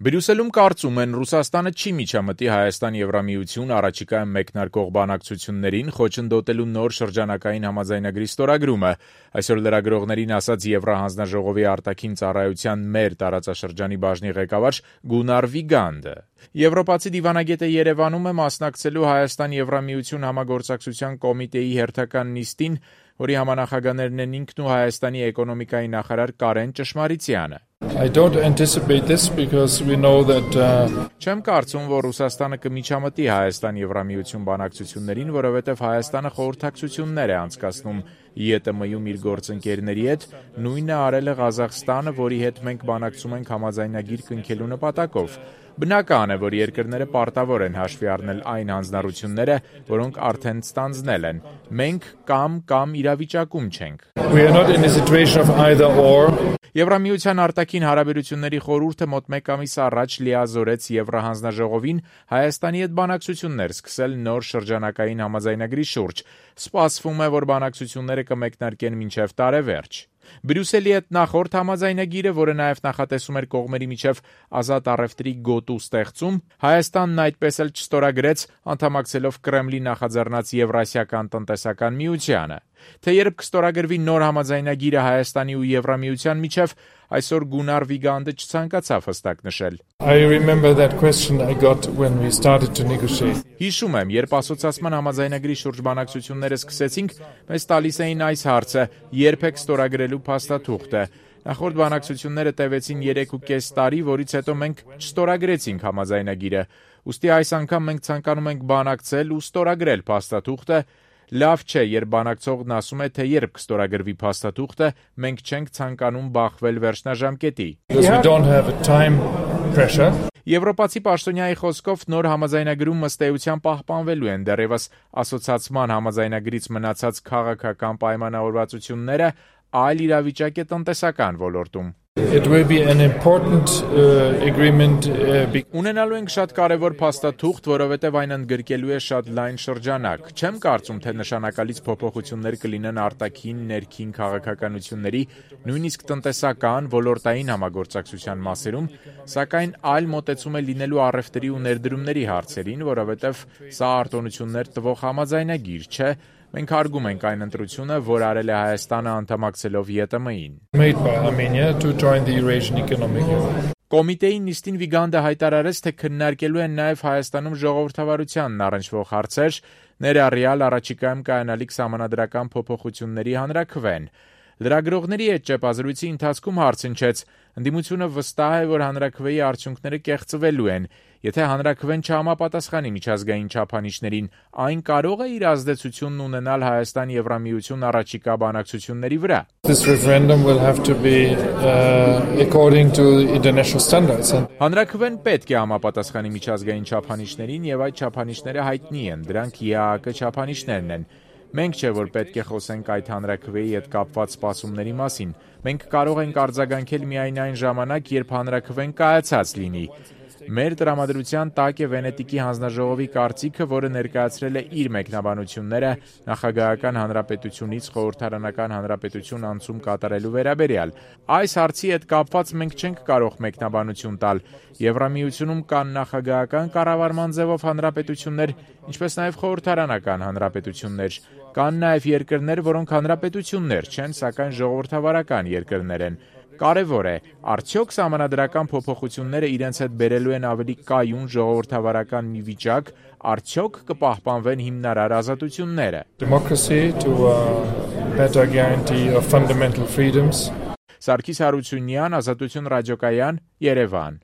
Բրյուսելում կարծում են, Ռուսաստանը չի միջամտի Հայաստան-Եվրամիություն առաջիկայում մեկնարկող բանակցություններին խոչընդոտելու նոր շրջանակային համաձայնագրի ստորագրումը, այսօր լրագրողներին ասաց Եվրահանձնաժողովի արտաքին ծառայության մեր տարածաշրջանի բաժնի ղեկավար Գունար Վիգանդը։ Եվրոպացի դիվանագետը Երևանում է մասնակցելու Հայաստան-Եվրամիություն համագործակցության կոմիտեի հերթական նիստին, որի համանախագահներն են ինքն ու Հայաստանի էկոնոմիկայի նախարար Կարեն Ճշմարիցյանը։ Չեմ կարծում, որ Ռուսաստանը կմիջամտի Հայաստան-Եվրամիություն բանակցություններին, որովհետև Հայաստանը խորհրդակցություններ է անցկացնում ԵՏՄ-ում իր գործընկերների հետ, նույնը արել է Ղազախստանը, որի հետ մենք բանակցում ենք համաձայնագիր կնքելու նպատակով։ Բնական է, որ երկրները պարտավոր են հաշվի առնել այն հանձնառությունները, որոնք արդեն ստանձնել են։ Մենք կամ իրավիճակում չենք։ Եվրամիության արտաքին հարաբերությունների խորհուրդը մոտ մեկ ամիս առաջ լիազորեց Եվրահանձնաժողովին Հայաստանի հետ բանակցություններ սկսել նոր շրջանակային համաձայնագրի շուրջ։ Սպասվում է, որ բանակցությունները կմեկնարկեն մինչև տարեվերջ։ Բրյուսելի հետ նախորդ համաձայնագիրը, որը նաև նախատեսում էր կողմերի միջև ազատ առևտրի գոտու ստեղծում, Հայաստանն այդպես էլ չստորագրեց, անդամակցելով Կրեմլի նախաձեռնած Եվրասիական տնտեսական միությանը։ Թե երբ կստորագրվի նոր համաձայնագիրը Հայաստանի ու Եվրամիության միջև, այսօր Գունար Վիգանդը չցանկացավ հստակ նշել։ Հիշում եմ, երբ ասոցիացման համաձայնագրի շուրջ բանակցությունները սկսեցինք, մեզ տալիս էին այս հարցը՝ երբ եք ստորագրելու փաստաթուղթը։ Նախորդ բանակցությունները տևեցին 3.5 տարի, որից հետո մենք չստորագրեցինք համաձայնագիրը։ Ուստի այս անգամ մենք ցանկանում ենք բանակցել ու ստորագրել փաստաթուղթը։ Լավ չէ, երբ բանակցողն ասում է, թե երբ կստորագրվի փաստաթուղթը, մենք չենք ցանկանում բախվել վերջնաժամկետի։ Եվրոպացի պաշտոնյայի խոսքով նոր համաձայնագրում ըստ էության պահպանվելու են դեռևս ասոցիացման համաձայնագրից մնացած քաղաքական պայմանավորվածությունները, այլ իրավիճակ է տնտեսական ոլորտում։ Ունենալու ենք շատ կարևոր փաստաթուղթ, որովհետև այն ընդգրկելու է շատ լայն շրջանակ։ Չեմ կարծում, թե նշանակալից փոփոխություններ կլինեն արտաքին, ներքին քաղաքականությունների, նույնիսկ տնտեսական, ոլորտային համագործակցության մասերում, սակայն այլ մոտեցում է լինելու առևտրի ու ներդրումների հարցերին, որովհետև սա արտոնություններ տվող համաձայնագիր չէ։ Մենք հարգում ենք այն ընտրությունը, որ արել է Հայաստանը անդամակցելով ԵՏՄ-ին։ Կոմիտեի նիստին Վիգանդը հայտարարեց, թե քննարկելու են նաև Հայաստանում ժողովրդավարությանն առնչվող հարցեր, ներառյալ առաջիկայում կայանալիք սահմանադրական փոփոխությունների հանրաքվեն։ Լրագրողների հետ ճեպազրույցի ընթացքում հարցնչեց. ընդդիմությունը վստահ է, որ հանրաքվեի արդյունքները կեղծվելու են։ Եթե հանրաքվեն չհամապատասխանի միջազգային չափանիշներին, այն կարող է իր ազդեցությունն ունենալ Հայաստան-Եվրամիություն առաջիկա բանակցությունների վրա։ Հանրաքվեն պետք է համապատասխանի միջազգային չափանիշներին, եւ այդ չափանիշները հայտնի են, դրանք ԵԱՀԿ չափանիշներն են։ Մենք չէ, որ պետք է խոսենք այդ հանրաքվեի հետ կապված սպասումների մասին։ Մենք կարող ենք արձագանքել միայն այն ժամանակ, երբ հանրաքվեն կայացած լինի։ Մեր տրամադրության տակ է Վենետիկի հանձնաժողովի կարծիքը, որը ներկայացրել է իր մեկնաբանությունները նախագահական հանրապետությունից խորհրդարանական հանրապետություն անցում կատարելու վերաբերյալ։ Այս հարցի հետ կապված մենք չենք կարող մեկնաբանություն տալ։ Եվրամիությունում կան նախագահական կառավարման ձևով հանրապետություններ, ինչպես նաև խորհրդարանական հանրապետություններ։ Կան նաև երկրներ, որոնք հանրապետություններ չեն, սակայն ժողովրդավարական երկրներ են։ Կարևոր է, արդյոք սահմանադրական փոփոխությունները իրենց հետ բերելու են ավելի կայուն ժողովրդավարական մի վիճակ, արդյոք կպահպանվեն հիմնարար ազատությունները։ Սարգիս Հարությունյան, Ազատություն ռադիոկայան, Երևան։